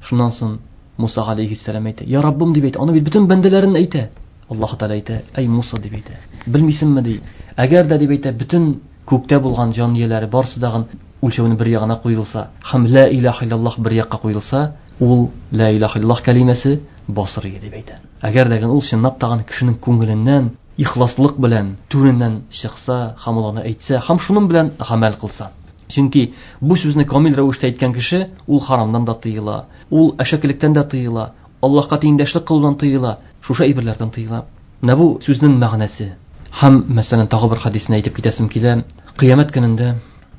Шуннан соң Муса алейһиссәлам әйтә: Я Раббым дип әйтә. Аны бит бөтен бәндәләрен әйтә. Аллаһ Тәгалә әйтә: Әй Муса дип әйтә. Белмисеңме ди. Әгәр дә дип әйтә, бөтен күктә булган җан ияләре барсы дагын үлчәүне бер ягына куелса, һәм ла илаһа иллаллаһ бер якка куелса, ул ла илаһа иллаллаһ кәлимәсе басыр иде дип әйтә. Әгәр дә ул чынлап тагын кешенең күңеленнән ихласлык белән түреннән чыкса, һәм ул аны әйтсә, һәм шуның белән гамәл кылса. Чөнки бу сүзне камил рәвештә әйткән кеше ул харамдан да тыела, ул әшәкелектән дә тыела, Аллаһка тиңдәшлек кылудан тыела, шушы әйберләрдән тыела. Менә бу сүзнең мәгънәсе. Һәм мәсәлән тагы бер хадисне әйтеп китәсем килә. Кыямәт көнендә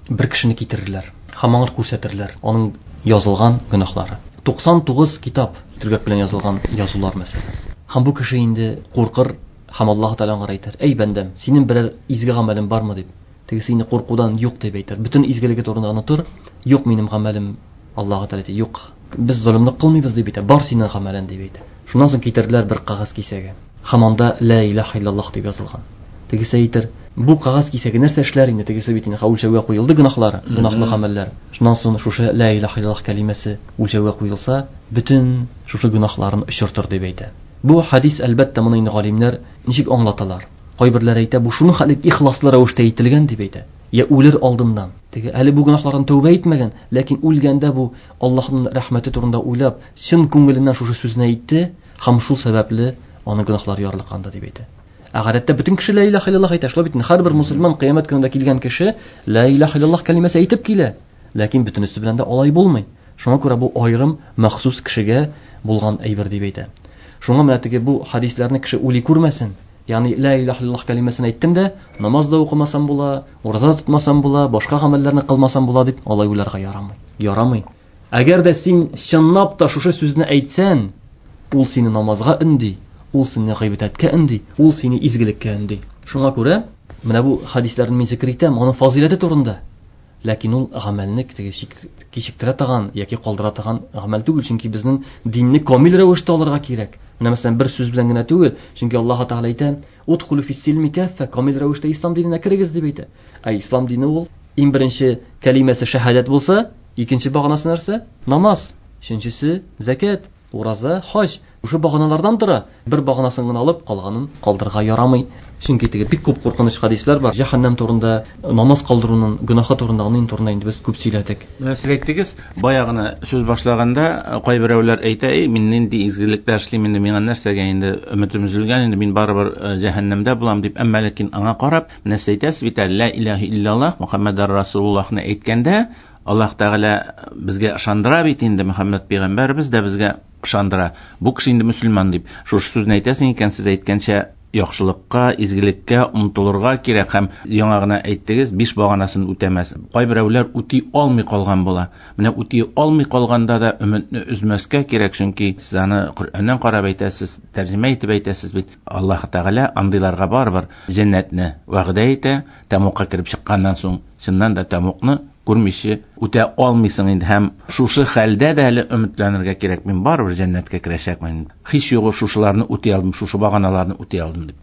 бер кешене китерерләр һәм аңар күрсәтерләр аның язылган гөнаһлары. туксан тугыз китап төргәк белән язылган язулар мәсәлән. Һәм бу кеше инде куркыр һәм Аллаһ Тәгалә аңа әйтер: "Әй бәндәм, синең берәр изге гамәлең бармы?" дип. Тегесе инде куркудан юк дип әйтер. Бөтен изгелеге турында онытыр. Юк минем гамәлем. Аллаһ Тәгалә әйтә: "Юк, без золымлык кылмыйбыз" дип әйтә. Бар синең гамәлең дип әйтә. Шуннан соң китерделәр бер кәгазь кисәге. Һәм анда ла илаһа иллаллаһ дип язылган. Тегесе әйтер: "Бу кәгазь кисәге нәрсә эшләр инде?" Тегесе бит инде үлчәүгә куелды гөнаһлары, гөнаһлы гамәлләр. Шуннан соң шушы ла илаһа иллаллаһ кәлимәсе үлчәүгә куелса, бөтен шушы гөнаһларын очыртыр дип әйтә. Бу хадис әлбәттә моны инде галимнәр ничек аңлаталар? Кайберләре әйтә, бу шуның хәле ихласлы рәвештә әйтелгән дип әйтә. Я үлер алдыннан. Теге әле бу гөнаһлардан тәүбә итмәгән, ләкин үлгәндә бу Аллаһның рәхмәте турында уйлап, чын күңеленнән шушы сүзне әйтте һәм шул сәбәпле аның гөнаһлары ярлыканды дип әйтә. Ә гадәттә бөтен кеше ла илаһа иллаллаһ әйтә. Шулай бит, һәрбер мусульман кыямәт көнендә килгән кеше ла илаһа иллаллаһ кәлимәсе әйтеп килә. Ләкин бөтенесе белән дә алай булмый. Шуңа күрә бу аерым махсус кешегә булган әйбер дип әйтә. Шуңа менә теге бу хадисләрне кеше уйлый күрмәсен. Ягъни ла илаһа иллаллаһ кәлимәсен әйттем дә, намаз да укымасам була, ураза да тотмасам була, башка гамәлләрне кылмасам була дип алай уйларга ярамый. Ярамый. Әгәр дә син чынлап та шушы сүзне әйтсәң, ул сине намазга өнди, ул сине гыйбадәткә өнди, ул сине изгелеккә өнди. Шуңа күрә менә бу хадисләрне мин зикр итәм, аның фазыйләте турында. Ләкин ул гамәлне теге кичектерә торган яки калдыра торган гамәл түгел, чөнки безнең динне камил рәвештә алырга кирәк. Менә мәсәлән бер сүз белән генә түгел, чөнки Аллаһ Тәгалә әйтә: "Удхулу фис-силми каффа", камил рәвештә ислам диненә керегез дип әйтә. Ә ислам дине ул иң беренче кәлимәсе шәһадәт булса, икенче баганасы нәрсә? Намаз, өченчесе зәкят, ураза, хаҗ. Шушы баганалардан тора. Бер баганасын гына алып, калганын калдырырга ярамый. Чөнки теге бик күп куркыныч хадисләр бар. Җәһәннәм турында, намаз калдыруның гөнаһы турында, аның турында инде без күп сөйләдек. Менә сез әйттегез, бая гына сүз башлаганда кайберәүләр әйтә: "Эй, мин нинди изгелекләр эшлим инде, миңа нәрсәгә инде өметем өзелгән инде, мин барыбер җәһәннәмдә булам" дип. Әмма ләкин аңа карап, менә сез әйтәсез бит, ла илаһа иллаллаһ Мухаммадар Расулуллаһны әйткәндә, Аллаһ Тәгалә безгә ышандыра бит инде, Мөхәммәд пәйгамбәребез дә безгә ышандыра. Бу кеше инде мөселман дип. Шушы сүзне әйтәсең икән, сез әйткәнчә яхшылыкка, изгелеккә омтылырга кирәк. Һәм яңа гына әйттегез, биш баганасын үтәмәс. Кайберәүләр үти алмый калган була. Менә үти алмый калганда да өметне өзмәскә кирәк, чөнки сез аны Коръәннән карап әйтәсез, тәрҗемә итеп әйтәсез бит. Аллаһ Тәгалә андыйларга барыбер җәннәтне вәгъдә итә. Тәмугка кереп чыкканнан соң, чыннан да тәмугны күрмичә үтә алмыйсың инде. Һәм шушы хәлдә дә әле өметләнергә кирәк. Мин барыбер җәннәткә керәчәкмен. Һич югы шушыларны үти алдым, шушы баганаларны үти алдым дип.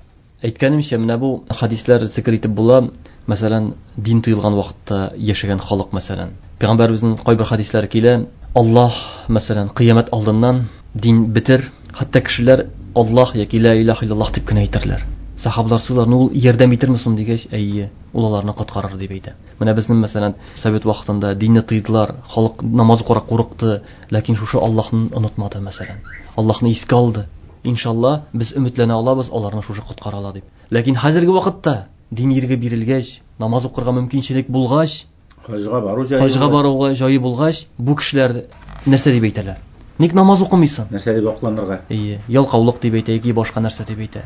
Әйткәнемчә, менә бу хадисләр зикр итеп була. Мәсәлән, дин тыелган вакытта яшәгән халык, мәсәлән. Пәйгамбәребезнең кайбер хадисләре килә. Аллаһ, мәсәлән, кыямәт алдыннан дин бетер, хәтта кешеләр Аллаһ яки ла илаһа иллаллаһ дип кенә әйтерләр. Сахабалар суларны ул ярдәм итерме соң дигәч, әйе, ул аларны коткарыр дип әйтә. Менә безнең мәсәлән совет вакытында динне тыйдылар, халык намаз укырга курыкты, ләкин шушы Аллаһны онытмады мәсәлән. Аллаһны искә алды. Иншалла, без өметләнә алабыз, аларны шушы коткара ала дип. Ләкин хәзерге вакытта дин ирге бирелгәч, намаз укырга мөмкинчелек булгач, хаҗга бару җае, хаҗга баруга җае булгач, бу кешеләр нәрсә дип әйтәләр? Ник намаз укымыйсың? Нәрсә дип акланырга? Әйе, ялкаулык дип әйтә, яки башка нәрсә дип әйтә.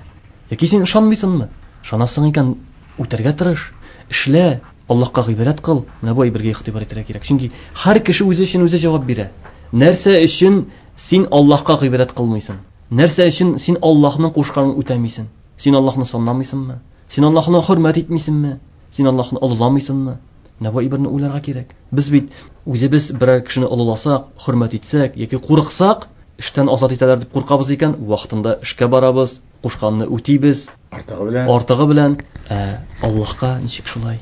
Яки син ышанмыйсыңмы? Ышанасың икән, үтәргә тырыш, эшлә, Аллаһка гыйбадәт кыл. Менә бу әйбергә игътибар итәргә кирәк. Чөнки һәр кеше үзе өчен үзе җавап бирә. Нәрсә өчен син Аллаһка гыйбадәт кылмыйсың? Нәрсә өчен син Аллаһның кушканын үтәмисең? Син Аллаһны санламыйсыңмы? Син Аллаһны хөрмәт итмисеңме? Син Аллаһны олыламыйсыңмы? Менә бу әйберне уйларга кирәк. Без бит үзебез берәр кешене олыласак, хөрмәт итсәк яки курыксак, эштән азат итәләр дип куркабыз икән, вакытында эшкә барабыз, кушканны үтибез, артыгы белән. Артыгы белән. Ә Аллаһка ничек шулай?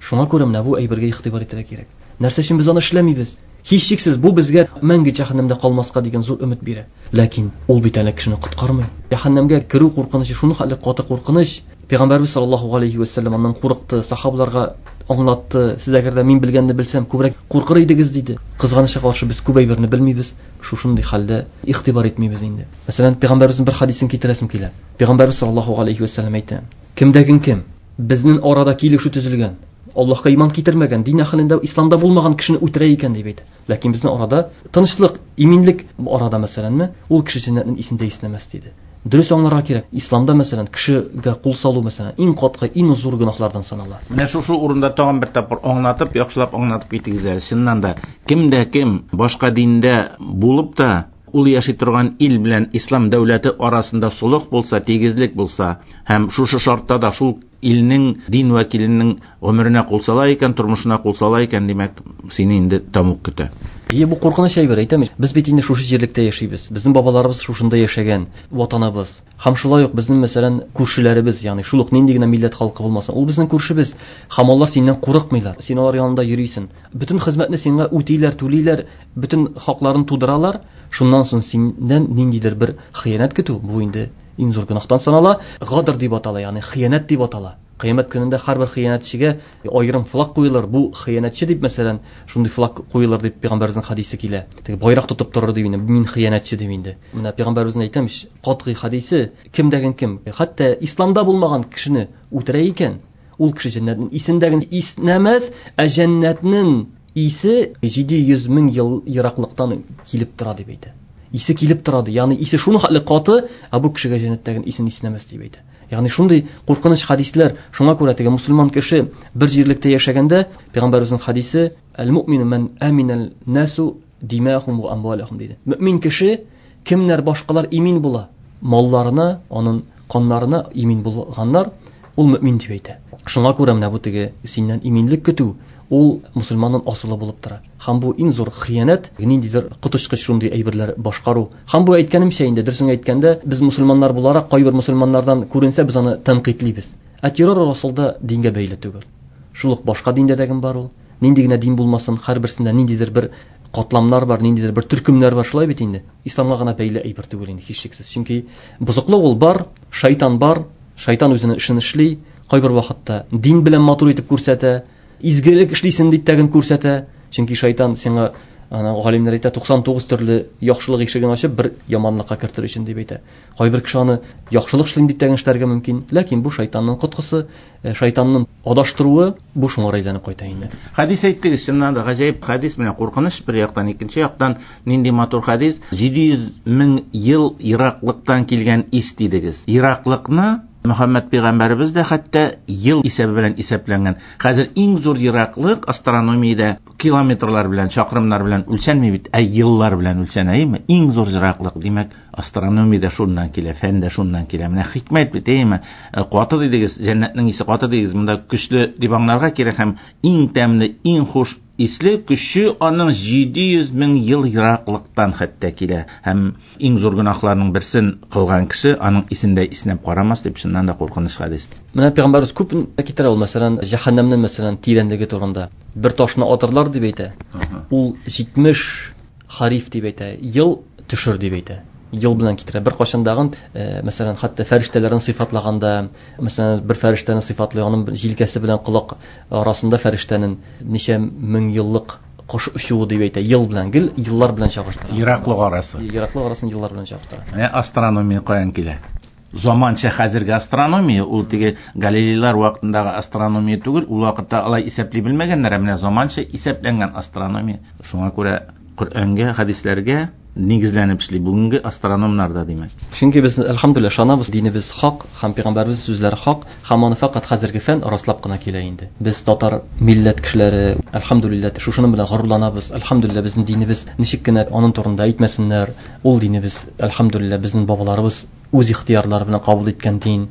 Шуңа күрә менә бу әйбергә игътибар итәргә кирәк. Нәрсә өчен без аны эшләмибез? Һичшиксез бу безгә мәңге җәһәннәмдә калмаска дигән зур өмет бирә. Ләкин ул бит әле кешене коткармый. Җәһәннәмгә керү куркынычы шуның хәтле каты куркыныч. Пәйгамбәрбез саллаллаһу алейхи ва сәлләм аннан курыкты, сахабаларга аңлатты. Сез әгәр дә мин белгәнне белсәм, күбрәк куркыр идегез диде. Кызганычка каршы без күп әйберне белмибез, шушындый хәлдә игътибар итмибез инде. Мәсәлән, пәйгамбәребезнең бер хадисен китерәсем килә. Пәйгамбәрбез саллаллаһу алейхи ва сәлләм әйтә: "Кемдәген кем безнең арада килешү төзелгән, Аллаһка иман китермәгән, дин әһелендә, исламда булмаган кешене үтерә икән дип әйтә. Ләкин безнең арада тынычлык, иминлек арада мәсәләнме, ул кеше җәннәтнең исендә иснәмәс диде. Дөрес аңларга кирәк. Исламда мәсәлән кешегә кул салу мәсәлән иң катгый, иң зур гөнаһлардан санала. Менә шушы урында тагын бер тапкыр аңлатып, яхшылап аңлатып китегез әле. Чыннан да, кемдә кем башка диндә булып та ул яши торган ил белән ислам дәүләте арасында солых булса, тигезлек булса һәм шушы шартта да шул илнең дин вәкиленең гомеренә кул сала икән, тормышына кул сала икән, димәк, сине инде тәмуг көтә. Ие, бу куркыныч әйбер, әйтәм. Без бит инде шушы җирлектә яшибез. Безнең бабаларыбыз шушында яшәгән, ватаныбыз. Һәм шулай ук безнең мәсәлән күршеләребез, ягъни шул ук нинди генә милләт халкы булмасын, ул безнең күршебез. Һәм алар синнән курыкмыйлар. Син алар янында йөрисең. Бөтен хезмәтне сиңа үтиләр, түлиләр, бөтен хакларын тудыралар. Шуннан соң синнән ниндидер бер хыянәт көтү, бу инде иң зур гөнаһтан санала. Гадр дип атала, ягъни хыянәт дип атала. Кыямәт көнендә һәрбер хыянәтчегә аерым флаг куелыр. Бу хыянәтче дип мәсәлән, шундый флаг куелыр дип пәйгамбәребезнең хадисе килә. Теге байрак тотып торыр дип инде, мин хыянәтче дип инде. Менә пәйгамбәребезнең әйтәм, катгый хадисе, кемдәген кем, хәтта исламда булмаган кешене үтерә икән, ул кеше җәннәтнең исендәген иснәмәс, ә җәннәтнең исе җиде йөз мең ел ераклыктан килеп тора дип әйтә. Исе килеп тора ди. Ягъни исе шуның хәтле каты, ә бу кешегә җәннәттәге исен иснәмәс дип әйтә. Ягъни шундый куркыныч хадисләр. Шуңа күрә теге мусульман кеше бер җирлектә яшәгәндә пәйгамбәребезнең хадисе: "Әл-муъмину ман аминал насу димахум ва амвалахум" диде. Мөмин кеше кемнәр башкалар имин була, малларына, аның каннарына имин булганнар, ул мөмин дип әйтә. Шуңа күрә менә бу теге синнән иминлек көтү ул мусульманның асылы булып тора. Һәм бу иң зур хыянәт, ниндидер коточкыч шундый әйберләр башкару. Һәм бу әйткәнемчә инде, дөресен әйткәндә, без мусульманнар буларак кайбер мусульманнардан күренсә без аны тәнкыйтьлибез. Ә террор асылда дингә бәйле түгел. Шул ук башка диндә дә бар ул. Нинди генә дин булмасын, һәрберсендә ниндидер бер катламнар бар, ниндидер бер төркемнәр бар, шулай бит инде. Исламга гына бәйле әйбер түгел инде һичшиксез. Чөнки бозыклык ул бар, шайтан бар, шайтан үзенең эшен эшли, кайбер вакытта дин белән матур итеп күрсәтә, изгелек эшлисен дип тәген күрсәтә. Чөнки шайтан сиңа, ана галимнәр әйтә, туксан тугыз төрле яхшылык ишеген ачып бер яманлыкка кертер өчен дип әйтә. Кайбер кеше аны яхшылык эшлим дип тәген эшләргә мөмкин, ләкин бу шайтанның коткысы, шайтанның адаштыруы, бу шуңа әйләнеп кайта инде. Хадис әйттегез, чыннан да гаҗәеп хадис, менә куркыныч бер яктан, икенче яктан нинди матур хадис. җиде йөз мең ел ераклыктан килгән ис дидегез. Ераклыкны Мөхәммәд пәйгамбәребез дә хәтта ел исәбе белән исәпләнгән. Хәзер иң зур ераклык астрономиядә километрлар белән, чакрымнар белән үлчәнми бит, ә еллар белән үлчәнә, әйеме? Иң зур ераклык, димәк, астрономиядә шуннан килә, фәндә шуннан килә. Менә хикмәт бит, әйеме? Каты дидегез, җәннәтнең исе каты дидегез, монда көчле дип аңларга кирәк һәм иң тәмле, иң хуш исле көче аның җиде йөз мең ел ераклыктан хәтта килә. Һәм иң зур гөнаһларның берсен кылган кеше аның исендә иснәп карамас дип, чыннан да куркыныч хадис. Менә пәйгамбәребез күп китерә ул, мәсәлән, җәһәннәмнең мәсәлән тирәнлеге турында. Бер ташны атырлар дип әйтә. Ул җитмеш хариф дип әйтә, ел төшер дип әйтә. Ел белән китерә. Бер кашындагын, мәсәлән, хәтта фәрештәләрен сыйфатлаганда, мәсәлән, бер фәрештәне сыйфатлый, аның җилкәсе белән колак арасында фәрештәнең ничә мең еллык кош очуы дип әйтә. Ел белән, гел еллар белән чагыштыра. Ераклык арасы. Ераклык арасын еллар белән чагыштыра. Менә астрономия каян килә? Заманча хәзерге астрономия, ул теге Галилейлар вакытындагы астрономия түгел, ул вакытта алай исәпли белмәгәннәр, ә менә заманча исәпләнгән астрономия. Шуңа күрә Коръәнгә, хәдисләргә нигезләнеп эшли бүгенге астрономнар да, димәк. Чөнки без әлхәмдүлилләһ ышанабыз, динебез хак һәм пәйгамбәребез сүзләре хак, һәм аны фәкать хәзерге фән раслап кына килә инде. Без татар милләт кешеләре, әлхәмдүлилләһ, шушының белән горурланабыз. Әлхәмдүлилләһ, безнең динебез ничек кенә аның турында әйтмәсеннәр, ул динебез, әлхәмдүлилләһ, безнең бабаларыбыз үз ихтыярлары белән кабул иткән дин,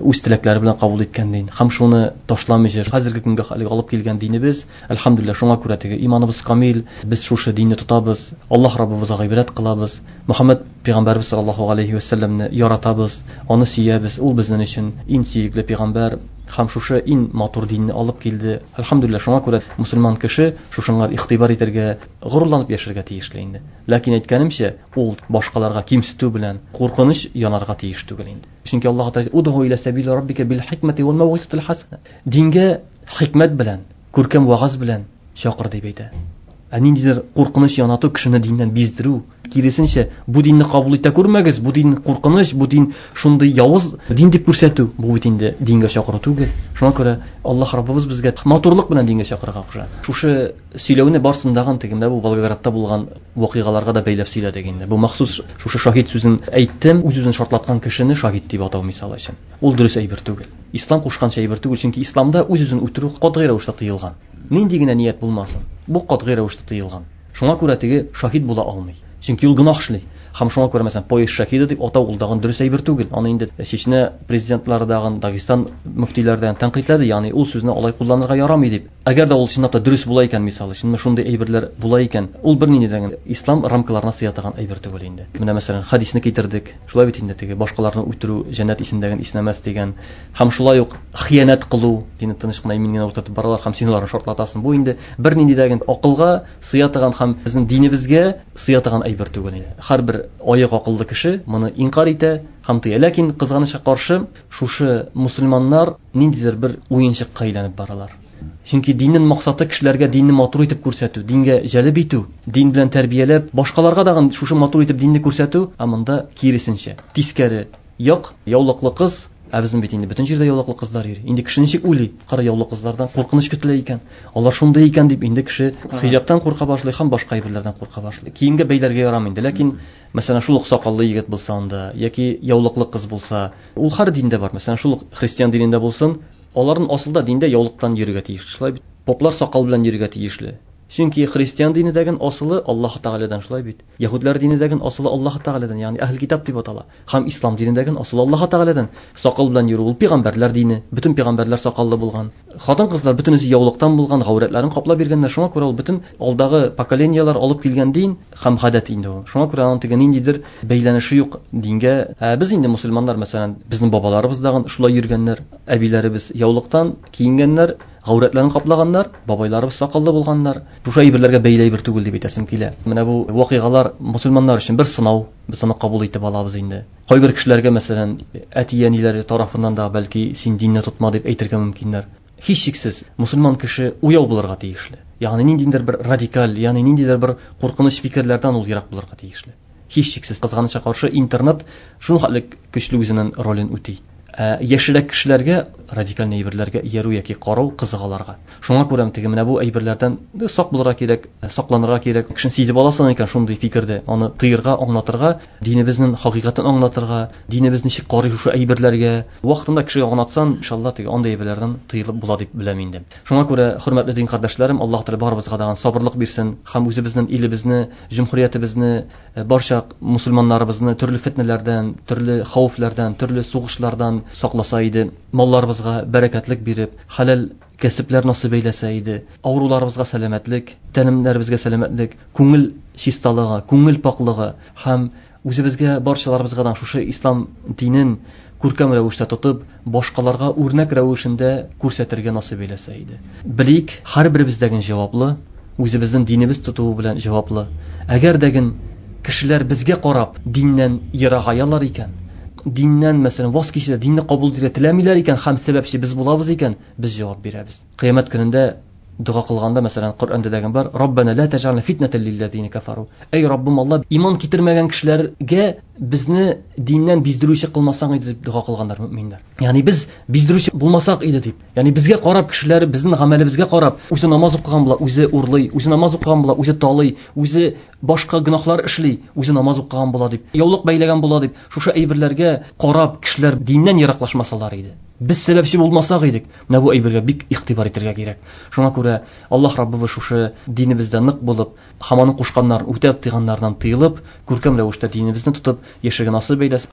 үз теләкләре белән кабул иткән дин. Һәм шуны ташламыйча хәзерге көнгә әлеге алып килгән динебез, әлхәмдүлилләһ, шуңа күрә теге иманыбыз камил, без шушы динне тотабыз, Аллаһ Раббыбызга гыйбадәт кылабыз, Мөхәммәд пәйгамбәрбез саллаллаһу алейхи ва сәлләмне яратабыз, аны сөябез, ул безнең өчен иң сөекле пәйгамбәр һәм шушы иң матур динне алып килде. Әлхәмдүлилләһ, шуңа күрә мусульман кеше шушыңа игътибар итәргә, горурланып яшәргә тиешле инде. Ләкин әйткәнемчә, ул башкаларга кимсетү белән куркыныч янарга тиеш түгел инде. Чөнки Аллаһ Тәгалә удгу иля сабили раббика бил хикмәти вал мауизатил хасана. Дингә хикмәт белән, күркәм вагаз белән чакыр дип әйтә. Ә ниндидер куркыныч янату кешене диннән биздерү, киресенчә, бу динне кабул итә күрмәгез, бу дин куркыныч, бу дин шундый явыз дин дип күрсәтү, бу бит инде дингә чакыру түгел. Шуңа күрә Аллаһ Раббыбыз безгә матурлык белән дингә чакырырга куша. Шушы сөйләүне барсындагын теге менә бу Волгоградта булган вакыйгаларга да бәйләп сөйләдек инде. Бу махсус шушы шаһит сүзен әйттем, үз-үзен шартлаткан кешене шаһит дип атау мисалы өчен. Ул дөрес әйбер түгел. Ислам кушканча әйбер түгел, чөнки исламда үз-үзен үтерү катгый рәвештә тыелган. Нинди генә ният булмасын, бу катгый рәвештә тыелган. Шуңа күрә теге шаһит була алмый. Чөнки ул гөнаһ эшли. Һәм шуңа күрә, мәсәлән, поезд шаһиды дип атау ул дагын дөрес әйбер түгел. Аны инде Чечня президентлары дагын, Дагестан мөфтиләре тәнкыйтьләде, ягъни ул сүзне алай кулланырга ярамый дип. Әгәр дә ул чынлап та дөрес була икән, мисалы, чынлап шундый әйберләр була икән, ул бернинди дә ислам рамкаларына сыя торган әйбер түгел инде. Менә мәсәлән, хадисне китердек. Шулай бит инде теге башкаларны үтерү җәннәт исендәген иснәмәс дигән. Һәм шулай ук хыянәт кылу, динне тыныч кына имин генә утыртып баралар һәм син аларны шартлатасың. Бу инде бернинди дә акылга сыя торган һәм безнең динебезгә сыя торган әйбер түгел инде. Һәрбер аяк акыллы кеше моны инкар итә һәм тыя. Ләкин кызганычка каршы, шушы мусульманнар ниндидер бер уенчыкка әйләнеп баралар. Чөнки диннең максаты кешеләргә динне матур итеп күрсәтү, дингә җәлеп итү, дин белән тәрбияләп, башкаларга да шушы матур итеп динне күрсәтү, ә монда киресенчә, тискәре як, яулыклы кыз, ә безнең бит инде бөтен җирдә яулыклы кызлар йөри. Инде кеше ничек уйлый? Кара яулыклы кызлардан куркыныч көтелә икән. Алар шундый икән дип инде кеше хиҗабтан курка башлый һәм башка әйберләрдән курка башлый. Киемгә бәйләргә ярамый инде, ләкин мәсәлән шул ук сакаллы егет булса анда яки яулыклы кыз булса, ул һәр диндә бар. Мәсәлән, шул ук христиан динендә булсын, аларның асылда диндә яулыктан йөрергә тиеш. Шулай бит. Поплар сакал белән йөрергә тиешле. Чөнки христиан динедәген асылы Аллаһ Тәгаләдән, шулай бит. Яһүдләр динедәген асылы Аллаһ Тәгаләдән, ягъни әһл китап дип атала. Һәм ислам динедәген асылы Аллаһ Тәгаләдән. Сакал белән йөрү ул пәйгамбәрләр дине. Бөтен пәйгамбәрләр сакаллы булган. Хатын-кызлар бөтенесе яулыктан булган, гаурәтләрен каплап биргәннәр. Шуңа күрә ул бөтен алдагы поколениеләр алып килгән дин һәм гадәт инде ул. Шуңа күрә аның теге ниндидер бәйләнеше юк дингә. Ә без инде мусульманнар, мәсәлән, безнең бабаларыбыз дагын шулай йөргәннәр, әбиләребез яулыктан киенгәннәр, гаурәтләрен каплаганнар, бабайларыбыз сакаллы булганнар. Шушы әйберләргә бәйле әйбер түгел дип әйтәсем килә. Менә бу вакыйгалар мусульманнар өчен бер сынау, без аны кабул итеп алабыз инде. Кайбер кешеләргә, мәсәлән, әти-әниләре тарафыннан да бәлки син динне тотма дип әйтергә мөмкиннәр. Һичшиксез мусульман кеше уяу булырга тиешле. Ягъни ниндидер бер радикаль, ягъни ниндидер бер куркыныч фикерләрдән ул ерак булырга тиешле. Һичшиксез кызганычка каршы интернет шул хәтле көчле үзенең ролен үти. Ә яшьрәк кешеләргә радикаль әйберләргә иярү яки карау кызык аларга. Шуңа күрә теге менә бу әйберләрдән сак булырга кирәк, сакланырга кирәк. Кешене сизеп аласың икән шундый фикердә, аны тыерга, аңлатырга, динебезнең хакыйкатен аңлатырга, динебез ничек карый шушы әйберләргә. Вакытында кешегә аңлатсаң, иншалла теге андый әйберләрдән тыелып була дип беләм инде. Шуңа күрә, хөрмәтле дин кардәшләрем, Аллаһ Тәгалә барыбызга да сабырлык бирсен һәм үзебезнең илебезне, җөмһүриятебезне, барча мусульманнарыбызны төрле фитнәләрдән, төрле хәвефләрдән, төрле сугышлардан сакласа иде, малларыбызга бәрәкәтлек биреп, хәләл кәсепләр насыйп әйләсә иде, авыруларыбызга сәламәтлек, тәнемнәребезгә сәламәтлек, күңел чисталыгы, күңел паклыгы һәм үзебезгә, барчаларыбызга да шушы ислам динен күркәм рәвештә тотып, башкаларга үрнәк рәвешендә күрсәтергә насыйп әйләсә иде. Белик, һәрберебездәген җаваплы, үзебезнең динебез тотуы белән җаваплы. Әгәр дәген кешеләр безгә карап диннән ерагаялар икән, диннән, мәсәлән, ваз кичә, динне кабул итәргә теләмиләр икән һәм сәбәпче без булабыз икән, без җавап бирәбез. Кыямәт көнендә дога кылганда, мәсәлән, Коръәндә дигән бар: Раббана ла тәҗәлна фитнәтән лилләзина кафару. Эй Раббым Алла, иман китермәгән кешеләргә безне диннән биздерүче кылмасаң иде дип дога кылганнар мөминнәр. Ягъни без биздерүче булмасак иде дип. Ягъни безгә карап кешеләр, безнең гамәлебезгә карап, үзе намаз укыган була, үзе урлый, үзе намаз укыган була, үзе талый, үзе башка гөнаһлар эшли, үзе намаз укыган була дип, яулык бәйләгән була дип, шушы әйберләргә карап кешеләр диннән ераклашмасалар иде. Без сәбәпче булмасак идек. Менә бу әйбергә бик игътибар итәргә кирәк. Шуңа күрә Аллаһ Раббыбыз шушы динебездә нык булып, һәм аның кушканнарын үтәп, тыйганнардан тыелып, күркәм рәвештә динебезне тотып яшәргә насыйп әйләсен.